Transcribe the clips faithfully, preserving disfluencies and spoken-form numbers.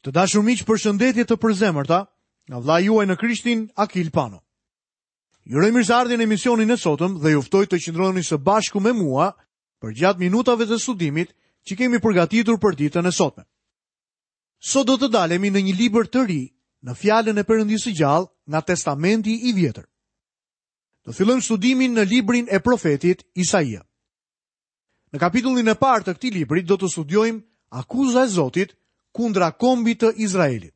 Të dashur miq, përshëndetje të përzemërta nga vëllai juaj në Krishtin, Akil Pano. Ju uroj mirëseardhjen në emisionin e sotëm dhe ju ftoj të qëndroni së bashku me mua përgjatë minutave të studimit që kemi përgatitur për ditën e sotme. Sot do të dalemi në një libër të ri në fjalën e Perëndisë së gjallë nga Testamenti i Vjetër. Do fillojmë studimin në librin e profetit Isaia. Në kapitullin e parë të këtij libri do të studiojmë akuza e Zotit kundra kombit të Izraelit.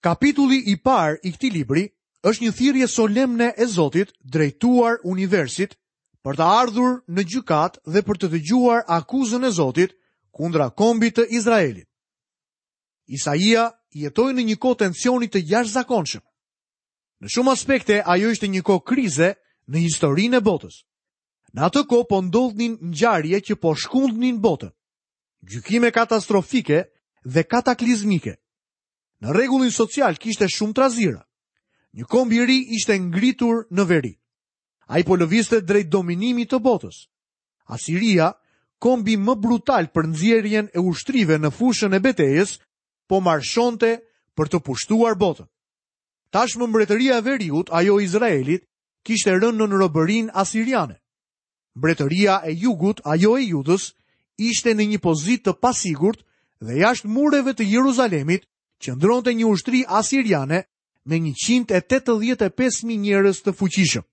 Kapitulli i parë i këtij libri është një thirrje solemne e Zotit drejtuar universit për të ardhur në gjykatë dhe për të dëgjuar akuzën e Zotit kundra kombit të Izraelit. Isaia jetoi në një kohë tensioni të jashtëzakonshëm. Në shumë aspekte ajo ishte një kohë krize në historinë e botës. Në atë kohë po ndodhnin ngjarje që po shkundnin botën. Gjykime katastrofike dhe kataklizmike. Në rregullin social kishte shumë trazira. Një komb i ri ishte ngritur në veri. Ai po lëvizte drejt dominimit të botës. Asiria, kombi më brutal për nxjerrjen e ushtrive në fushën e betejës, po marshonte për të pushtuar botën. Tashmë mbretëria e veriut, ajo e Izraelit, kishte rënë në robërinë asiriane. Mbretëria e jugut, ajo e Judës, ishte në një pozitë të pasigurt dhe jashtë mureve të Jeruzalemit qëndronte një ushtri asiriane me njëqind e tetëdhjetë e pesë mijë njerëz të fuqishëm.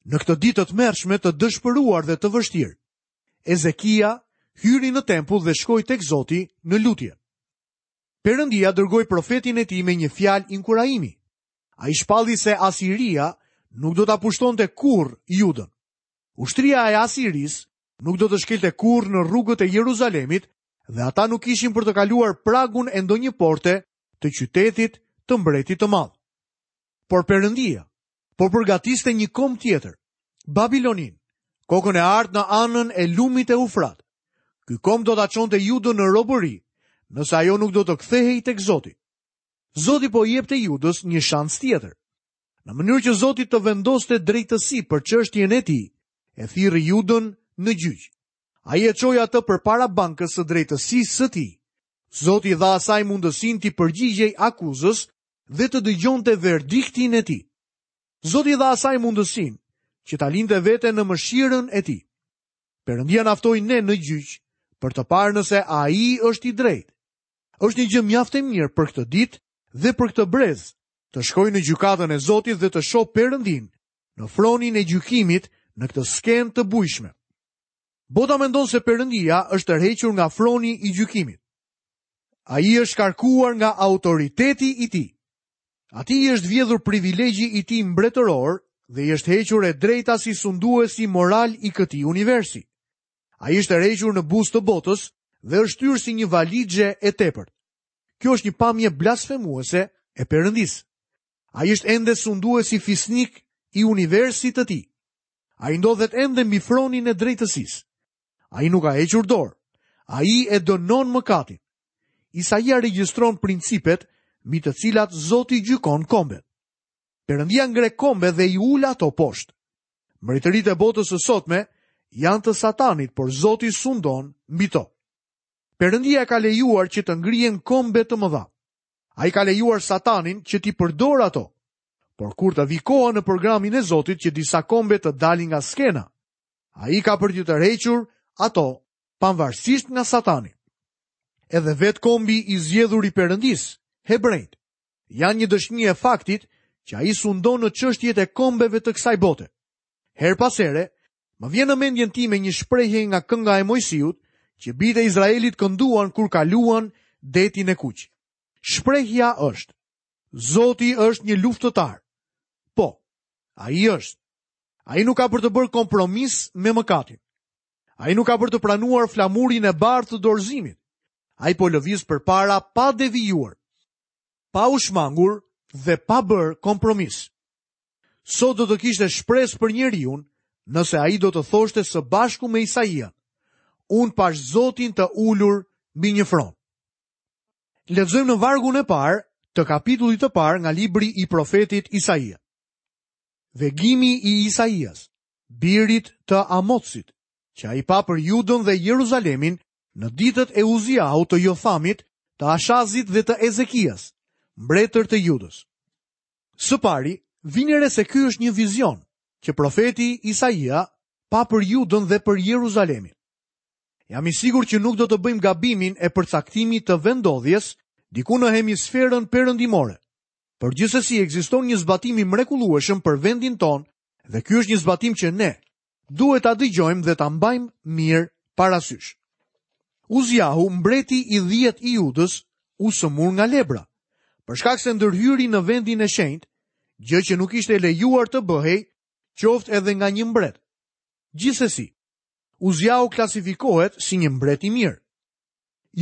Në këtë ditë të tmerrshme, të dëshpëruar dhe të vështirë, Ezekia hyri në tempull dhe shkoi tek Zoti në lutje. Perëndia dërgoi profetin e tij me një fjalë inkurajimi. Ai shpalli se Asiria nuk do ta pushtonte kurrë Judën. Ushtria e Asirisë nuk do të shkelte kurrë në rrugët e Jeruzalemit dhe ata nuk ishin për të kaluar pragun e ndonjë porte të qytetit të mbretit të madh. Por Perëndia po përgatiste një komb tjetër, Babilonin, kokën e artë në anën e lumit Eufrat. Ky komb do ta çonte Judën në robëri, nëse ajo nuk do të kthehej tek Zoti. Zoti po i jepte Judës një shans tjetër. Në mënyrë që Zoti të vendoste drejtësi për çështjen e tij, e thirri Judën në gjyq. Ai e çoi atë përpara bankës së drejtësisë së tij. Zoti dha asaj mundësinë t'i përgjigjej akuzës dhe të dëgjonte verdiktin e tij. Zoti dha asaj mundësinë që ta linte veten në mëshirën e tij. Perëndia na ftoi ne në gjyq për të parë nëse ai është i drejtë. Është një gjë mjaft e mirë për këtë ditë dhe për këtë brez, të shkoj në gjykatën e Zotit dhe të shoh Perëndin në fronin e gjykimit në këtë skenë të bujshme. Bota mendon se Perëndia është tërhequr nga froni i gjykimit. Ai është shkarkuar nga autoriteti i tij. Atij i është vjedhur privilegji i tij mbretëror dhe i është hequr e drejta si sunduesi moral i këtij universi. Ai është tërhequr në buzë të botës dhe është shtyrë si një valixhe e tepërt. Kjo është një pamje blasfemuese e Perëndisë. Ai është ende sunduesi fisnik i universit të tij. Ai ndodhet ende mbi fronin e drejtësisë. Ai nuk ka hequr dorë. Ai e dënon mëkatin. Isaia regjistron principet mbi të cilat Zoti gjykon kombet. Perëndia ngre kombe dhe i ul ato poshtë. Mbretëritë e botës së sotme janë të Satanit, por Zoti sundon mbi to. Perëndia ka lejuar që të ngrihen kombe të mëdha. Ai ka lejuar Satanin që t'i përdorë ato. Por kur të vi koha në programin e Zotit që disa kombe të dalin nga skena, ai ka për t'i tërhequr ato pavarësisht nga Satani. Edhe vetë kombi i zgjedhur i Perëndisë, hebrejt, janë një dëshmi e faktit që ai sundon në çështjet e kombeve të kësaj bote. Her pas here, më vjen në mendjen time një shprehje nga kënga e Mojsiut që bijtë e Izraelit kënduan kur kaluan detin e Kuq. Shprehja është: Zoti është një luftëtar. Po, ai është. Ai nuk ka për të bërë kompromis me mëkatin. Ai nuk ka për të pranuar flamurin e bardhë të dorëzimit. Ai po lëviz përpara pa devijuar, pa u shmangur dhe pa bërë kompromis. Sot do të kishte shpresë për njeriun nëse ai do të thoshte së bashku me Isaian: Unë pash Zotin të ulur mbi një fron. Lexojmë në vargun e parë të kapitullit të parë nga libri i profetit Isaia. Vegimi i Isaias, birit të Amotsit, që ai pa për Judën dhe Jeruzalemin në ditët e Uziahut të Jothamit, të Ashazit dhe të Ezekias, mbretër të Judës. Së pari, vini re se ky është një vizion që profeti Isaia pa për Judën dhe për Jeruzalemin. Jam i sigurt që nuk do të bëjmë gabimin e përcaktimit të vendodhjes diku në hemisferën perëndimore. Por gjithsesi ekziston një zbatim i mrekullueshëm për vendin tonë dhe ky është një zbatim që ne duhet ta dëgjojmë dhe ta mbajmë mirë parasysh. Uziahu, mbreti i dhjetë i Judës, u sëmur nga lebra, për shkak se ndërhyri në vendin e shenjtë, gjë që nuk ishte lejuar të bëhej, qoftë edhe nga një mbret. Gjithsesi, Uziahu klasifikohet si një mbret i mirë.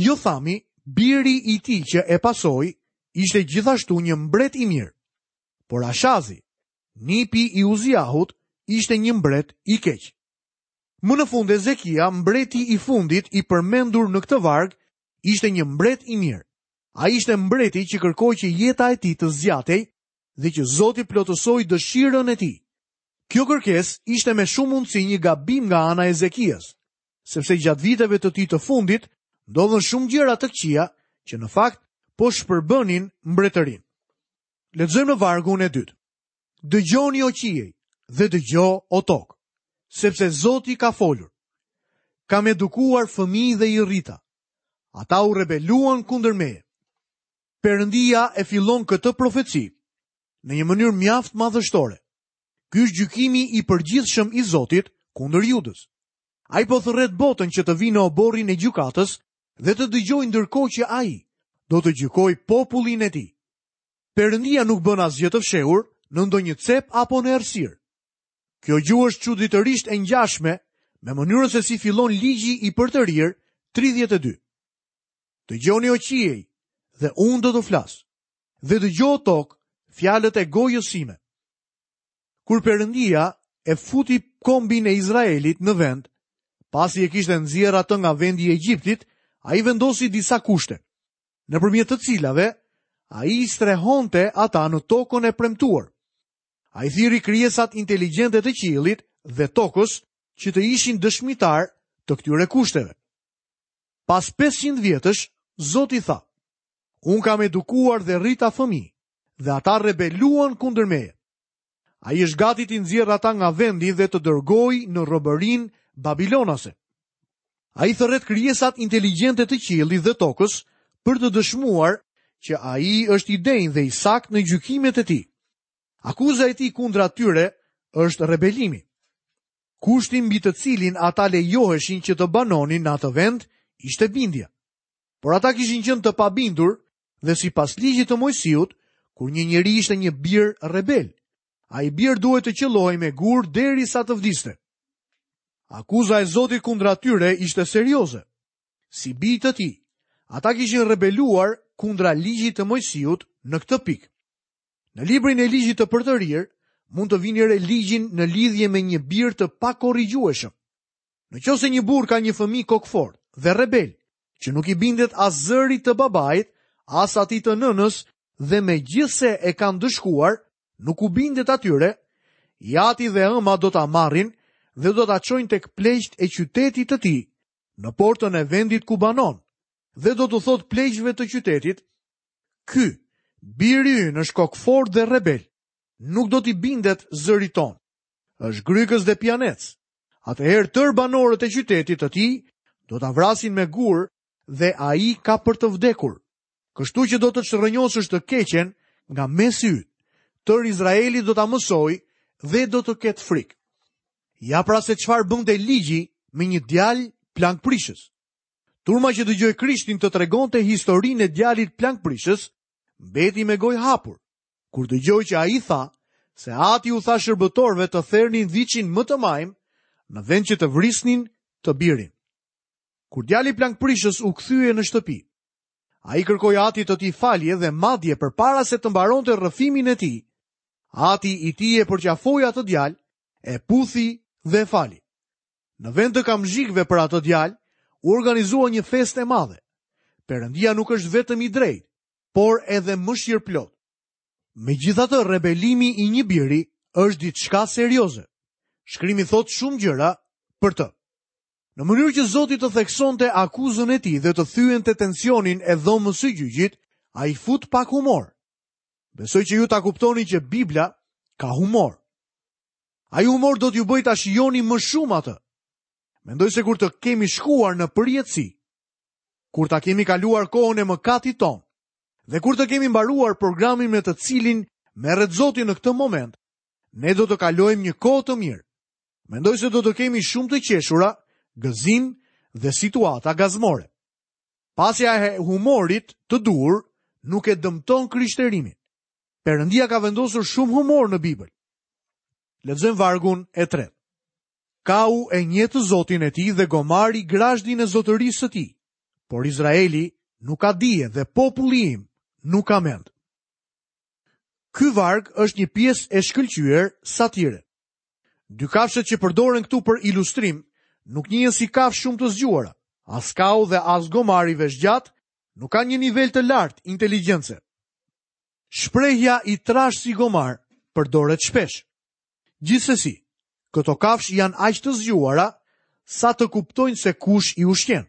Jothami, biri i tij që e pasoi, ishte gjithashtu një mbret i mirë. Por Ashazi, nipi i Uziahut, ishte një mbret i keq. Më në fund Ezekia, mbreti i fundit i përmendur në këtë varg, ishte një mbret i mirë. Ai ishte mbreti që kërkoi që jeta e tij të zgjatej dhe që Zoti plotësoi dëshirën e tij. Kjo kërkesë ishte me shumë mundësi një gabim nga ana e Ezekias, sepse gjatë viteve të tij të fundit ndodhën shumë gjëra të këqija që në fakt po shpërbënin mbretërinë. Lexojmë në vargun e dytë. Dëgjoni o qiej dhe dëgjo o tokë, sepse Zoti ka folur. Kam edukuar fëmijë dhe i rrita. Ata u rebeluan kundër meje. Perëndia e fillon këtë profeci në një mënyrë mjaft madhështore. Ky është gjykimi i përgjithshëm i Zotit kundër Judës. Ai po thërret botën që të vinë në oborrin e gjykatës dhe të dëgjojë ndërkohë që ai do të gjykojë popullin e tij. Perëndia nuk bën asgjë të fshehur në ndonjë cep apo në errësirë. Kjo gjuhë është çuditërisht e ngjashme me mënyrën se si fillon ligji i përtërirë tridhjetë e dy. Dëgjoni o qiej dhe unë do të flas, dhe dëgjo o tokë fjalët e gojës sime. Kur Perëndia e futi kombin e Izraelit në vend, pasi e kishte nxjerrë atë nga vendi i Egjiptit, ai vendosi disa kushte, nëpërmjet të cilave ai i strehonte ata në tokën e premtuar. Ai thirri krijesat inteligjente të qiellit dhe tokës që të ishin dëshmitar të këtyre kushteve. Pas pesëqind vjetësh, Zoti tha: Unë kam edukuar dhe rrita fëmijë, dhe ata rebeluan kundër meje. Ai është gati t'i nxjerrë ata nga vendi dhe të dërgojë në robërinë babilonase. Ai thërret krijesat inteligjente të qiellit dhe tokës për të dëshmuar që ai është i denjë dhe i saktë në gjykimet e tij. Akuza e tij kundra tyre është rebelimi. Kushti mbi të cilin ata lejoheshin që të banonin në atë vend ishte bindja. Por ata kishin qenë të pabindur dhe sipas ligjit të Mojsiut, kur një njeri ishte një bir rebel, ai bir duhet të qellohej me gur derisa të vdiste. Akuza e Zotit kundra tyre ishte serioze. Si bij të tij, ata kishin rebeluar kundra ligjit të Mojsiut në këtë pikë. Në librin e ligjit të përtërirë, mund të vini re ligjin në lidhje me një bir të pakorrigjueshëm. Në qoftë se një burr ka një fëmijë kokfort dhe rebel, që nuk i bindet as zërit të babait, as atij të nënës, dhe megjithse e kanë dëshkuar, nuk u bindet atyre, i ati dhe ëma do ta marrin dhe do ta çojnë tek pleqt e qytetit të tij, në portën e vendit ku banon, dhe do t'u thotë pleqve të qytetit: Ky, biri ynë është kokfort dhe rebel, nuk do t'i bindet zërit ton. Është grykës dhe pianec. Atëherë tër banorët e qytetit të tij do ta vrasin me gur dhe ai ka për të vdekur. Kështu që do të çrrënjosësh të keqen nga mesi yt. Tër Izraeli do ta mësoj dhe do të ketë frikë. Ja pra se çfarë bënte ligji me një djalë plankprishës. Turma që dëgjoi Krishtin të tregonte historinë e djalit plankprishës, mbeti me gojë hapur, kur dëgjoi që ai tha se ati u tha shërbëtorëve të thernin viçin më të majm në vend që të vrisnin të birin. Kur djali plankprishës u kthye në shtëpi, ai kërkoi atit të tij falje dhe madje përpara se të mbaronte rrëfimin e tij, ati i tij e përqafoi atë djalë, e puthi dhe e fali. Në vend të kamzhikëve për atë djalë, u organizua një festë e madhe. Perëndia nuk është vetëm i drejtë, por edhe mëshirëplot. Megjithatë, rebelimi i një biri është diçka serioze. Shkrimi thot shumë gjëra për të. Në mënyrë që Zoti të theksonte akuzën e tij dhe të thyente tensionin e dhomës së gjyqit, ai fut pak humor. Besoj që ju ta kuptoni që Bibla ka humor. Ai humor do t'ju bëjë ta shijoni më shumë atë. Mendoj se kur të kemi shkuar në përjetësi, kur ta kemi kaluar kohën e mëkatit ton, dhe kur të kemi mbaruar programin me të cilin merret Zoti në këtë moment, ne do të kalojmë një kohë të mirë. Mendoj se do të kemi shumë të qeshura, gëzim dhe situata gazmore. Pasja e humorit të duhur nuk e dëmton krishterimin. Perëndia ka vendosur shumë humor në Bibël. Lexojmë vargun e tretë. Kau e njeh të Zotin e tij dhe gomari grazhdin e zotërisë së tij. Por Izraeli nuk ka dije dhe populli im nuk ka mend. Ky varg është një pjesë e shkëlqyer satire. Dy kafshët që përdoren këtu për ilustrim nuk njihen si kafshë shumë të zgjuara. As kau dhe as gomari veshgjat nuk kanë një nivel të lartë inteligjence. Shprehja i trash si gomar përdoret shpesh. Gjithsesi, këto kafshë janë aq të zgjuara sa të kuptojnë se kush i ushqen.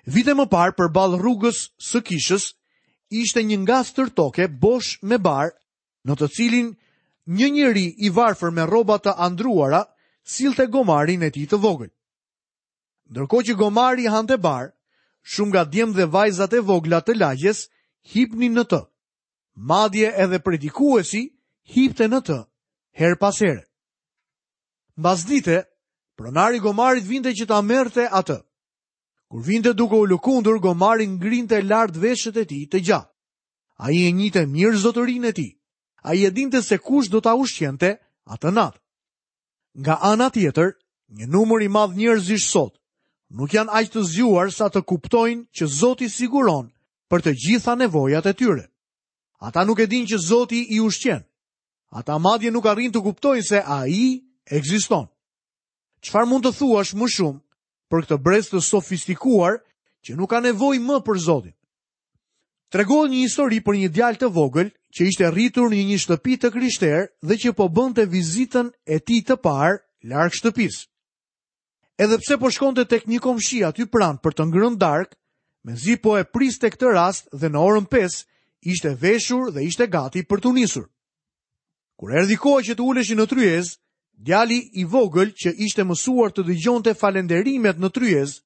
Vite më parë, përballë rrugës së kishës, ishte një ngastër toke bosh me bar, në të cilin një njeri i varfër me rroba të andruara sillte gomarin e tij të vogël. Ndërkohë që gomari hante bar, shumë nga djem dhe vajzat e vogla të lagjes hipnin në të. Madje edhe predikuesi hipte në të herë pas here. Mbas dite, pronari gomarit vinte që ta merrte atë. Kur vinte duke u lëkundur, gomari ngrinte lart veshët e tij të gjatë. Ai e njihte mirë zotërinë e tij. Ai e dinte se kush do ta ushqente atë natë. Nga ana tjetër, një numër i madh njerëzish sot nuk janë aq të zgjuar sa të kuptojnë që Zoti siguron për të gjitha nevojat e tyre. Ata nuk e dinë që Zoti i ushqen. Ata madje nuk arrijnë të kuptojnë se ai ekziston. Çfarë mund të thuash më shumë për këtë brez të sofistikuar që nuk ka nevojë më për Zotin? Tregohet një histori për një djalë të vogël që ishte rritur në një shtëpi të krishterë dhe që po bënte vizitën e tij të parë larg shtëpisë. Edhe pse po shkonte tek një komshi aty pranë për të ngrënë darkë, mezi po e priste këtë rast dhe në orën pesë ishte veshur dhe ishte gati për t'u nisur. Kur erdhi koha që të uleshin në tryezë, djali i vogël që ishte mësuar të dëgjonte falenderimet në tryezë,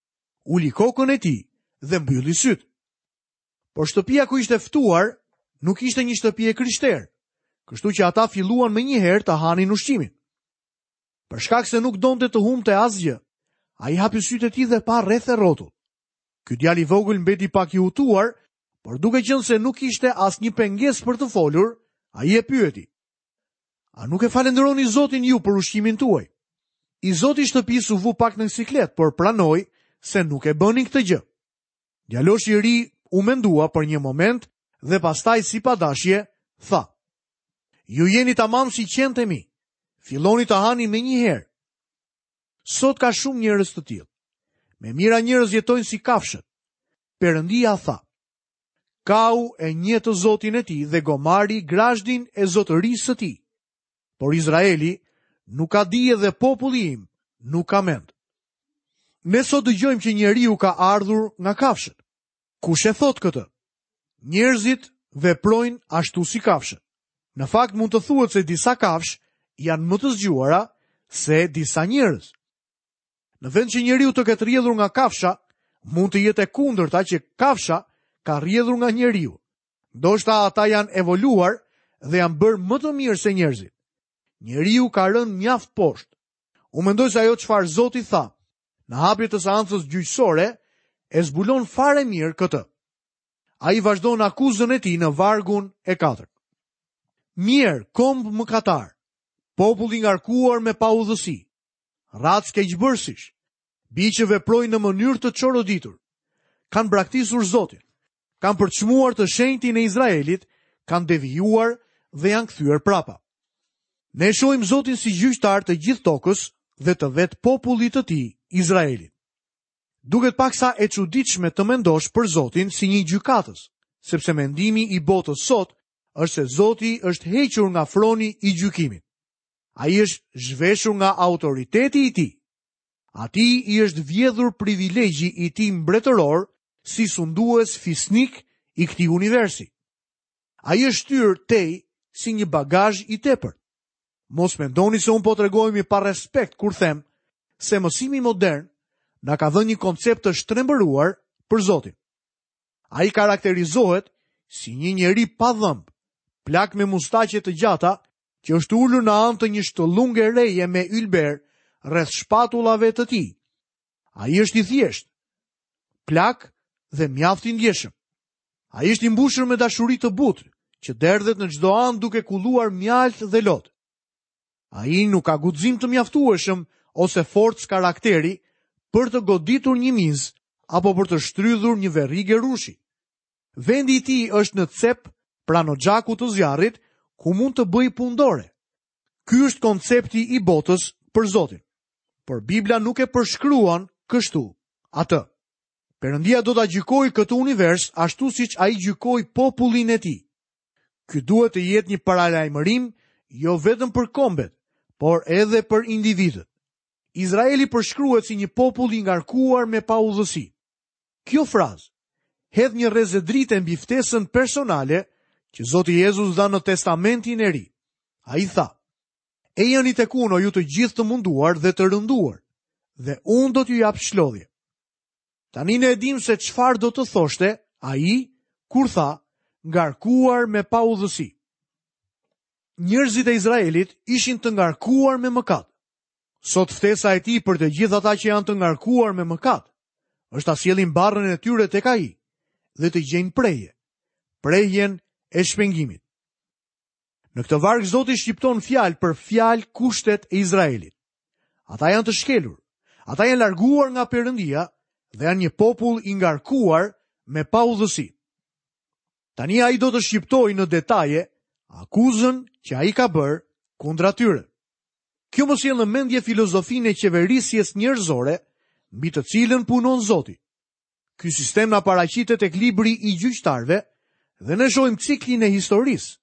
uli kokën e tij dhe mbylli syt. Por shtëpia ku ishte ftuar nuk ishte një shtëpi e krishterë, kështu që ata filluan menjëherë të hanin ushqimin. Për shkak se nuk donte të humbte asgjë, ai hapi sytë e tij dhe pa rreth e rrotull. Ky djalë i vogël mbeti pak i hutuar, por duke qenë se nuk ishte asnjë pengesë për të folur, ai e pyeti: "A nuk e falënderoni Zotin ju për ushqimin tuaj?" I zoti i shtëpisë u vu pak në siklet, por pranoi se nuk e bënin këtë gjë. Djaloshi i ri u mendua për një moment dhe pastaj si padashje tha: "Ju jeni tamam si qentë e mi. Filloni të hani menjëherë." Sot ka shumë njerëz të tillë. Me mira njerëz jetojnë si kafshët. Perëndia tha: "Kau e njeh të Zotin e tij dhe gomari grazhdin e zotërisë së tij. Por Izraeli nuk ka dije dhe populli im nuk ka mend." Ne sot dëgjojmë që njeriu ka ardhur nga kafshët. Kush e thot këtë? Njerëzit veprojnë ashtu si kafshët. Në fakt mund të thuhet se disa kafshë janë më të zgjuara se disa njerëz. Në vend që njeriu të ketë rrjedhur nga kafsha, mund të jetë e kundërta që kafsha ka rrjedhur nga njeriu. Ndoshta ata janë evoluar dhe janë bërë më të mirë se njerëzit. Njeriu ka rënë mjaft poshtë. Unë mendoj se ajo çfarë Zoti tha në hapje të seancës gjyqësore e zbulon fare mirë këtë. Ai vazhdon akuzën e tij në vargun e katërt. Mirë, komb mëkatar, popull i ngarkuar me paudhësi, racë keqbërsish, bij që veprojnë në mënyrë të çoroditur, kanë braktisur Zotin, kanë përçmuar të shenjtin e Izraelit, kanë devijuar dhe janë kthyer prapa. Ne shohim Zotin si gjyqtar të gjithë tokës dhe të vetë popullit të tij, Izraelit. Duket paksa e çuditshme të mendosh për Zotin si një gjykatës, sepse mendimi i botës sot është se Zoti është hequr nga froni i gjykimit. Ai është zhveshur nga autoriteti i tij. Atij i është vjedhur privilegji i tij mbretëror si sundues fisnik i këtij universi. Ai është shtyrë tej si një bagazh i tepërt. Mos mendoni se unë po tregohem i pa respekt kur them se mësimi modern na ka dhënë një koncept të shtrembëruar për Zotin. Ai karakterizohet si një njeri pa dhëmb, plak me mustaqe të gjata, që është ulur në anë të një shtëllunge reje me ylber rreth shpatullave të tij. Ai është i thjeshtë, plak dhe mjaft i ndjeshëm. Ai është i mbushur me dashuri të butë, që derdhet në çdo anë duke kulluar mjaltë dhe lot. Ai nuk ka guxim të mjaftueshëm ose forcë karakteri për të goditur një mizë apo për të shtrydhur një verrige rrushi. Vendi i tij është në cep pranë oxhakut të zjarrit, ku mund të bëjë punë dore. Ky është koncepti i botës për Zotin. Por Bibla nuk e përshkruan kështu atë. Perëndia do ta gjykojë këtë univers ashtu siç ai gjykoi popullin e tij. Ky duhet të jetë një paralajmërim jo vetëm për kombet, por edhe për individët. Izraeli përshkruhet si një popull i ngarkuar me paudhësi. Kjo frazë hedh një rreze drite mbi ftesën personale që Zoti Jezus dha në Testamentin e Ri. Ai tha: "Ejani tek unë, o ju të gjithë të munduar dhe të rënduar, dhe unë do t'ju jap shlodhje." Tani ne e dim se çfarë do të thoshte ai kur tha ngarkuar me paudhësi. Njerëzit e Izraelit ishin të ngarkuar me mëkat. Sot ftesa e tij për të gjithë ata që janë të ngarkuar me mëkat është ta sjellin barrën e tyre tek ai dhe të gjejnë prehje, prehjen e shpengimit. Në këtë varg Zoti shqipton fjalë për fjalë kushtet e Izraelit. Ata janë të shkelur, ata janë larguar nga Perëndia dhe janë një popull i ngarkuar me paudhësi. Tani ai do të shqiptojë në detaje akuzën që ai ka bërë kundra tyre. Kjo më sjell në mendje filozofinë e qeverisjes njerëzore mbi të cilën punon Zoti. Ky sistem na paraqitet tek libri i gjyqtarëve dhe ne shohim ciklin e historisë,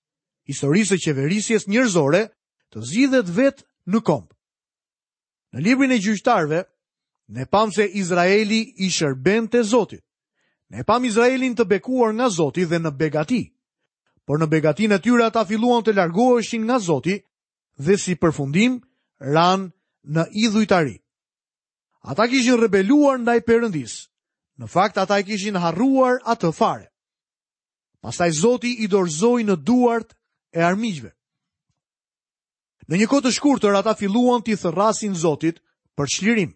historisë së qeverisjes njerëzore të zgjidhet vetë në komb. Në librin e gjyqtarëve ne pam se Izraeli i shërbente Zotit. Ne pam Izraelin të bekuar nga Zoti dhe në begati. Por në begatinë e tyre ata filluan të largoheshin nga Zoti dhe si përfundim ranë në idhujtari. Ata kishin rebeluar ndaj Perëndisë. Në fakt ata e kishin harruar atë fare. Pastaj Zoti i dorëzoi në duart e armiqve. Në një kohë të shkurtër ata filluan t'i thërrasin Zotit për çlirim.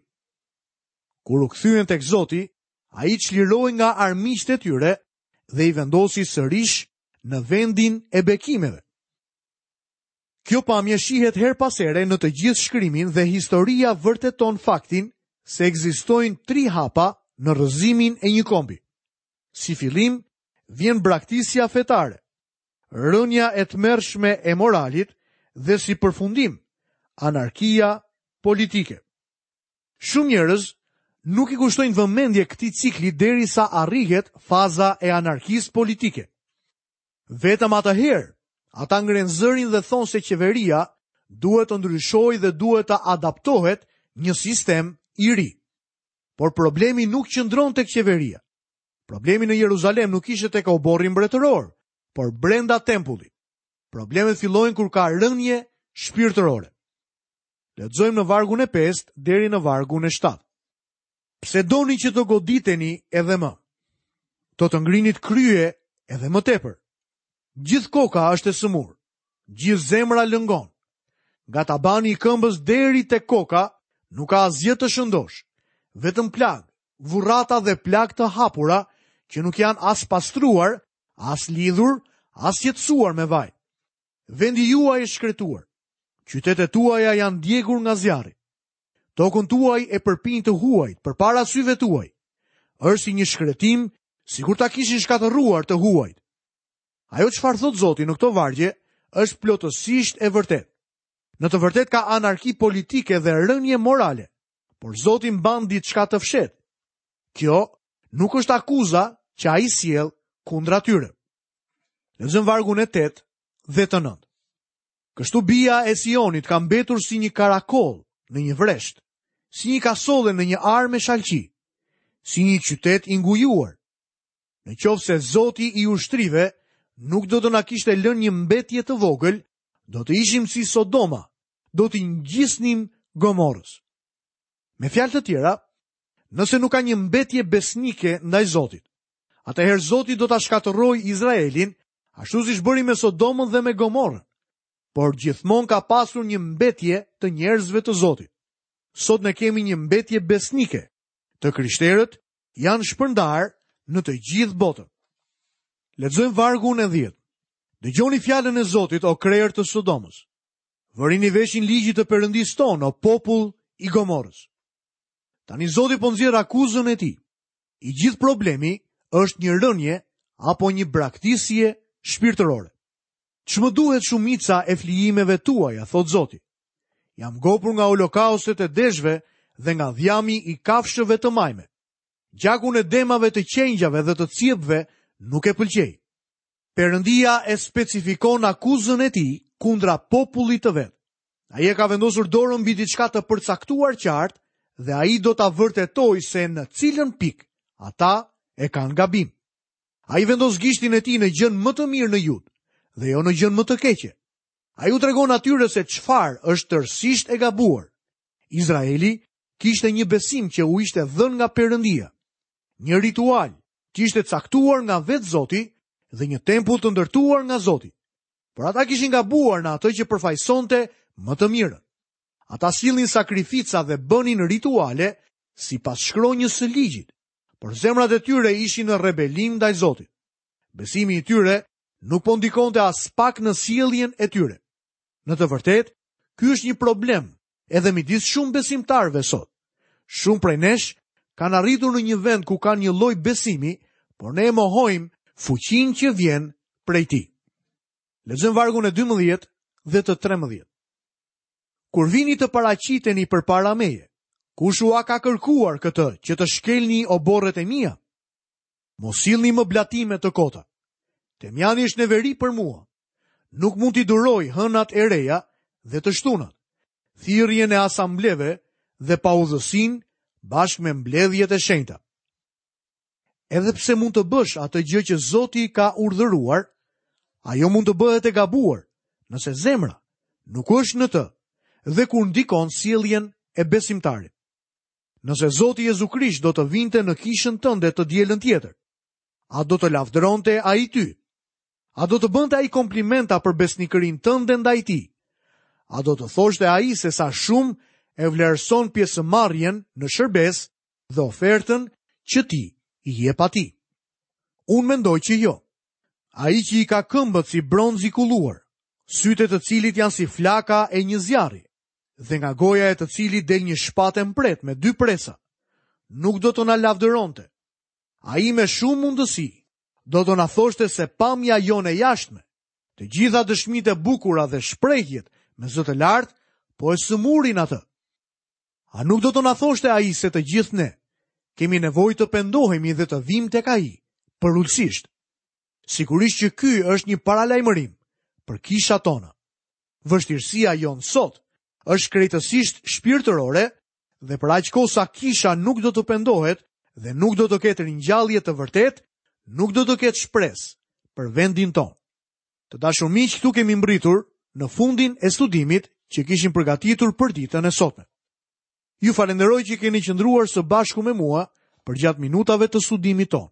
Kur u kthyen tek Zoti, ai çliroi nga armiqtë e tyre dhe i vendosi sërish në vendin e bekimeve. Kjo pamje shihet her pas here në të gjithë shkrimin dhe historia vërteton faktin se ekzistojnë tri hapa në rrëzimin e një kombi. Si fillim vjen braktisja fetare, rënja e tmerrshme e moralit dhe si përfundim anarkia politike. Shumë njerëz nuk i kushtojnë vëmendje këtij cikli derisa arrihet faza e anarkisë politike. Vetëm atëherë ata ngrenë zërin dhe thonë se qeveria duhet të ndryshojë dhe duhet të adaptohet një sistem i ri. Por problemi nuk qëndron tek qeveria. Problemi në Jeruzalem nuk ishte tek oborri mbretëror, por brenda tempullit. Problemet fillojnë kur ka rënje shpirtërore. Lexojmë në vargun e pestë deri në vargun e shtatë. Pse doni që të goditeni edhe më? Do të ngrinit krye edhe më tepër. Gjithë koka është e sëmurë, gjithë zemra lëngon. Nga tabani i këmbës deri te koka nuk ka asgjë të shëndosh, vetëm plagë, vurrata dhe plagë të hapura që nuk janë as pastruar, as lidhur, as qetësuar me vaj. Vendi juaj është shkretuar. Qytetet tuaja janë djegur nga zjarri. Tokën tuaj e përpin të huajt përpara syve tuaj. Është si një shkretim, sikur ta kishin shkatërruar të huajt. Ajo çfarë thot Zoti në këto vargje është plotësisht e vërtetë. Në të vërtetë ka anarki politike dhe rënje morale, por Zoti mban diçka të fshehtë. Kjo nuk është akuza që ai sjell kundra tyre. Lexojmë vargun e tetë dhe të nëntë. Kështu bija e Sionit ka mbetur si një karakol në një vresht, si një kasolle në një arë me shalqi, si një qytet i ngujuar. Në qoftë se Zoti i ushtrive nuk do të na kishte lënë një mbetje të vogël, do të ishim si Sodoma, do t'i ngjisnim Gomorës. Me fjalë të tjera, nëse nuk ka një mbetje besnike ndaj Zotit, atëherë Zoti do ta shkatërrojë Izraelin, ashtu siç bëri me Sodomën dhe me Gomorën. Por gjithmonë ka pasur një mbetje të njerëzve të Zotit. Sot ne kemi një mbetje besnike. Të krishterët janë shpërndarë në të gjithë botën. Lexojmë vargun e dhjetë. Dëgjoni fjalën e Zotit, o krerë të Sodomës. Vërini veshin ligjit të Perëndisë tonë, o popull i Gomorës. Tani Zoti po nxjerr akuzën e tij. I gjithë problemi është një rënje apo një braktisje shpirtërore. Ç'më duhet shumica e flijimeve tuaja, thot Zoti. Jam ngopur nga holokaustet e deshve dhe nga dhjami i kafshëve të majme. Gjakun e demave të qengjave dhe të cjepve nuk e pëlqej. Perëndia e specifikon akuzën e tij kundra popullit të vet. Ai e ka vendosur dorën mbi diçka të përcaktuar qartë dhe ai do ta vërtetojë se në cilën pikë ata e kanë gabim. Ai vendos gishtin e tij në gjën më të mirë në Jud dhe jo në gjën më të keqe. Ai u tregon atyre se çfarë është tërësisht e gabuar. Izraeli kishte një besim që u ishte dhënë nga Perëndia, një ritual që ishte caktuar nga vetë Zoti dhe një tempull të ndërtuar nga Zoti. Por ata kishin gabuar në atë që përfaqësonte më të mirën. Ata sillnin sakrifica dhe bënin rituale sipas shkronjës së ligjit, por zemrat e tyre ishin në rebelim ndaj Zotit. Besimi i tyre nuk po ndikonte as pak në sjelljen e tyre. Në të vërtetë, ky është një problem edhe midis shumë besimtarëve sot. Shumë prej nesh kanë arritur në një vend ku kanë një lloj besimi, por ne e mohojmë fuqinë që vjen prej tij. Lexojmë vargun e dymbëdhjetë dhe të trembëdhjetë. Kur vini të paraqiteni përpara meje, kush ua ka kërkuar këtë që të shkelni oborret e mia? Mos sillni më blatime të kota. Temjani është neveri për mua. Nuk mund t'i duroj hënat e reja dhe të shtunat, thirrjen e asambleve dhe paudhësinë bashkë me mbledhjet e shenjta. Edhe pse mund të bësh atë gjë që Zoti ka urdhëruar, ajo mund të bëhet e gabuar, nëse zemra nuk është në të dhe kur ndikon sjelljen e besimtarit. Nëse Zoti Jezu Krisht do të vinte në kishën tënde të dielën tjetër, a do të lavdëronte ai ty? A do të bënte ai komplimenta për besnikërinë tënde ndaj tij? A do të thoshte ai se sa shumë e vlerëson pjesëmarrjen në shërbes dhe ofertën që ti i jep atij? Unë mendoj që jo. Ai që i ka këmbët si bronz i kulluar, sytë e të cilit janë si flaka e një zjarri, dhe nga goja e të cilit del një shpatë e mprehtë me dy presa, nuk do të na lavdëronte. Ai me shumë mundësi do të na thoshte se pamja jonë e jashtme, të gjitha dëshmitë e bukura dhe shprehjet me zë të lartë, po e sëmurin atë. A nuk do të na thoshte ai se të gjithë ne kemi nevojë të pendohemi dhe të vim tek ai përulësisht? Sigurisht që ky është një paralajmërim për kishat tona. Vështirësia jonë sot është krejtësisht shpirtërore dhe për aq kohë sa kisha nuk do të pendohet dhe nuk do të ketë ringjallje të vërtetë, nuk do të ketë shpresë për vendin tonë. Të dashur miq, këtu kemi mbritur në fundin e studimit që kishim përgatitur për ditën e sotme. Ju falenderoj që keni qëndruar së bashku me mua përgjatë minutave të studimit tonë.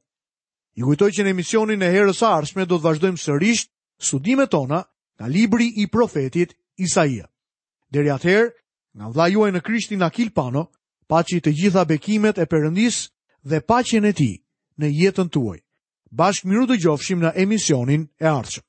Ju kujtoj që në emisionin e herës së ardhshme do të vazhdojmë sërish studimet tona nga libri i profetit Isaia. Deri atëherë, nga vëllai juaj në Krishtin Akil Pano, paçi të gjitha bekimet e Perëndisë dhe paqen e tij në jetën tuaj. Bashkë miru dëgjofshim në emisionin e ardhshëm.